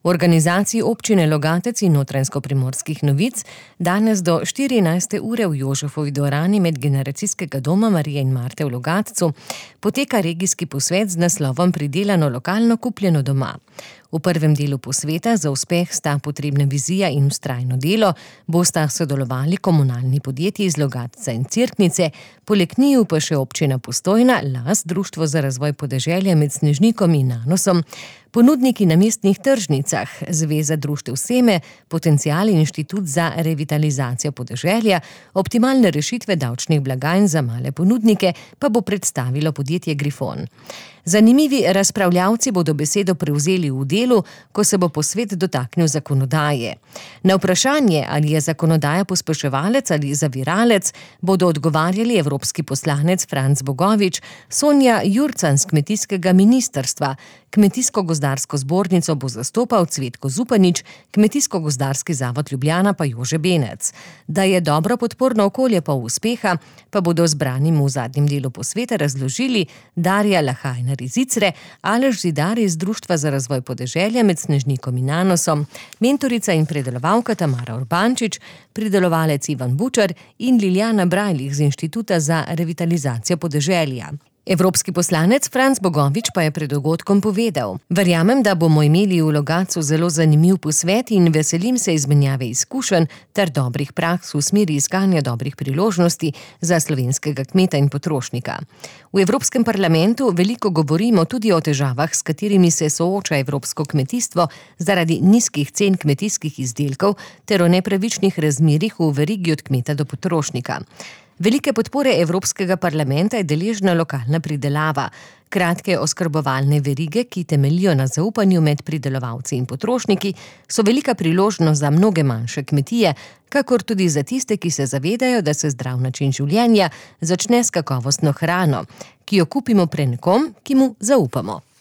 V organizaciji občine Logatec in Notranjsko-primorskih novic danes do 14. ure v Jožefovi dvorani Medgeneracijskega doma Marije in Marte v Logatcu poteka regijski posvet z naslovom Pridelano lokalno, kupljeno doma. V prvem delu posveta za uspeh sta potrebna vizija in vztrajno delo, bosta sodelovali komunalni podjetji iz Logatca in Cerknice, poleg njiju pa še občina Postojna, LAS, Društvo za razvoj podeželja med Snežnikom in Nanosom, ponudniki na mestnih tržnicah, Zveza društev Seme, Potencial in Inštitut za revitalizacijo podeželja, optimalne rešitve davčnih blagajn za male ponudnike pa bo predstavilo podjetje Grifon. Zanimivi razpravljavci bodo besedo prevzeli v delu, ko se bo posvet dotaknil zakonodaje. Na vprašanje, ali je zakonodaja pospeševalec ali zaviralec, bodo odgovarjali evropski poslanec Franc Bogovič, Sonja Jurcan z kmetijskega ministrstva, Kmetijsko-gozdarsko zbornico bo zastopal Cvetko Zupanič, Kmetijsko-gozdarski zavod Ljubljana pa Jože Benec. Da je dobro podporno okolje pol uspeha, pa bodo zbranim v zadnjem delu posveta razložili Darja Lahajner iz Icre, Aleš Zidar iz Društva za razvoj podeželja med Snežnikom in Nanosom, mentorica in predelovalka Tamara Urbančič, pridelovalec Ivan Bučar in Liljana Brajlih z Inštituta za revitalizacijo podeželja. Evropski poslanec Franc Bogovič pa je pred dogodkom povedal: "Verjamem, da bomo imeli v Logatcu zelo zanimiv posvet in veselim se izmenjave izkušenj ter dobrih praks v smeri iskanja dobrih priložnosti za slovenskega kmeta in potrošnika. V Evropskem parlamentu veliko govorimo tudi o težavah, s katerimi se sooča evropsko kmetijstvo zaradi nizkih cen kmetijskih izdelkov ter o nepravičnih razmerjih v verigi od kmeta do potrošnika. Velike podpore Evropskega parlamenta je deležna lokalna pridelava. Kratke oskrbovalne verige, ki temeljijo na zaupanju med pridelovalci in potrošniki, so velika priložnost za mnoge manjše kmetije, kakor tudi za tiste, ki se zavedajo, da se zdrav način življenja začne s kakovostno hrano, ki jo kupimo pri nekom, ki mu zaupamo."